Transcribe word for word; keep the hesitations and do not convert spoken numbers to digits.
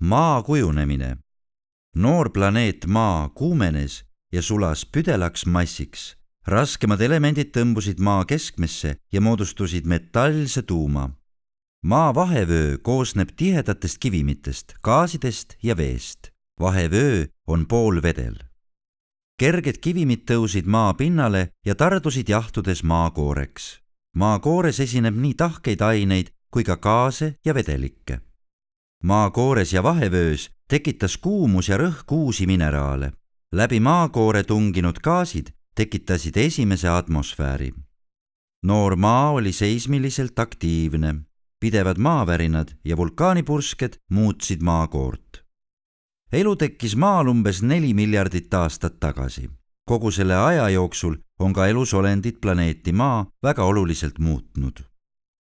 Maa kujunemine. Noor planeet Maa kuumenes ja sulas püdelaks massiks. Raskemad elemendid tõmbusid Maa keskmesse ja moodustusid metallse tuuma. Maa vahevöö koosneb tihedatest kivimitest, gaasidest ja veest. Vahevöö on poolvedel. Kerged kivimid tõusid maa pinnale ja tardusid jahtudes maakooreks. Maakoores esineb nii tahkeid aineid kui ka gaase ja vedelikke. Maakoores ja vahevöös tekitas kuumus ja rõhk uusi mineraale. Läbi maakoore tunginud gaasid tekitasid esimese atmosfääri. Noor maa oli seismiliselt aktiivne. Pidevad maavärinad ja vulkaanipursked muutsid maakoort. Elu tekkis maal umbes neli miljardit aastat tagasi. Kogu selle aja jooksul on ka elusolendid planeeti Maa väga oluliselt muutnud.